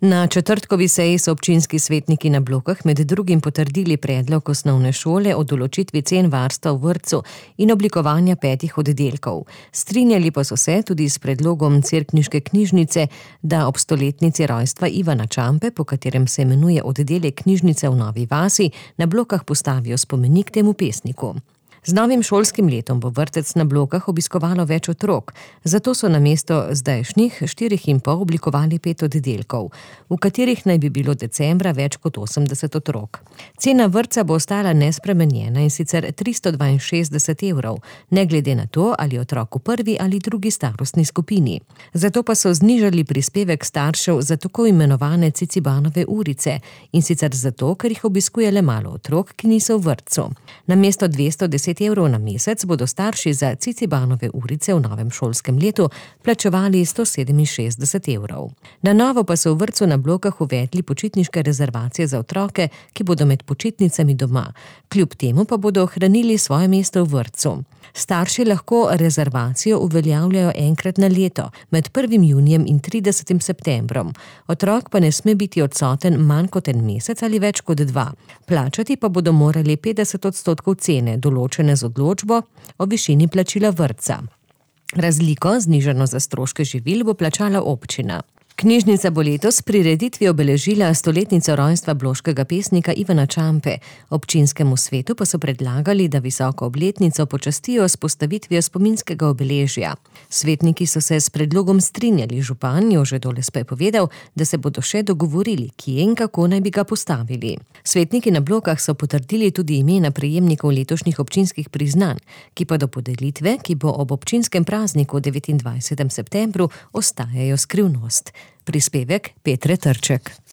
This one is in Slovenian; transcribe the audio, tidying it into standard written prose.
Na četrtkovi seji so občinski svetniki na Blokah med drugim potrdili predlog osnovne šole o določitvi cen varstva v vrtcu in oblikovanja 5 oddelkov. Strinjali pa so se tudi s predlogom cerkniške knjižnice, da ob stoletnici rojstva Ivana Čampe, po katerem se imenuje oddelek knjižnice v Novi vasi, na Blokah postavijo spomenik temu pesniku. Z novim šolskim letom bo vrtec na Blokah obiskovalo več otrok, zato so namesto zdajšnjih 4,5 oblikovali 5 oddelkov, v katerih naj bi bilo decembra več kot 80 otrok. Cena vrtca bo ostala nespremenjena, in sicer 362 evrov, ne glede na to, ali je otrok v prvi ali drugi starostni skupini. Zato pa so znižali prispevek staršev za tako imenovane Cicibanove urice, in sicer zato, ker jih obiskuje le malo otrok, ki niso v vrtcu. Namesto 210 evrov na mesec bodo starši za Cicibanove urice v novem šolskem letu plačevali 167 evrov. Na novo pa so v vrtcu na Blokah uvedli počitniške rezervacije za otroke, ki bodo med počitnicami doma. Kljub temu pa bodo ohranili svoje mesto v vrtcu. Starši lahko rezervacijo uveljavljajo enkrat na leto, med 1. junijem in 30. septembrom. Otrok pa ne sme biti odsoten manj kot en mesec ali več kot 2. Plačati pa bodo morali 50% cene, določene z odločbo o višini plačila vrtca. Razliko, znižano za stroške živil, bo plačala občina. Knjižnica bo letos prireditvi obeležila stoletnico rojstva bloškega pesnika Ivana Čampe. Občinskemu svetu pa so predlagali, da visoko obletnico počastijo s postavitvijo spominskega obeležja. Svetniki so se s predlogom strinjali, župan Jože Doles pa je povedal, da se bodo še dogovorili, kje in kako naj bi ga postavili. Svetniki na Blokah so potrdili tudi imena prejemnikov letošnjih občinskih priznanj, ki pa do podelitve, ki bo ob občinskem prazniku 29. septembru, ostajajo skrivnost. Prispevek Petre Trček.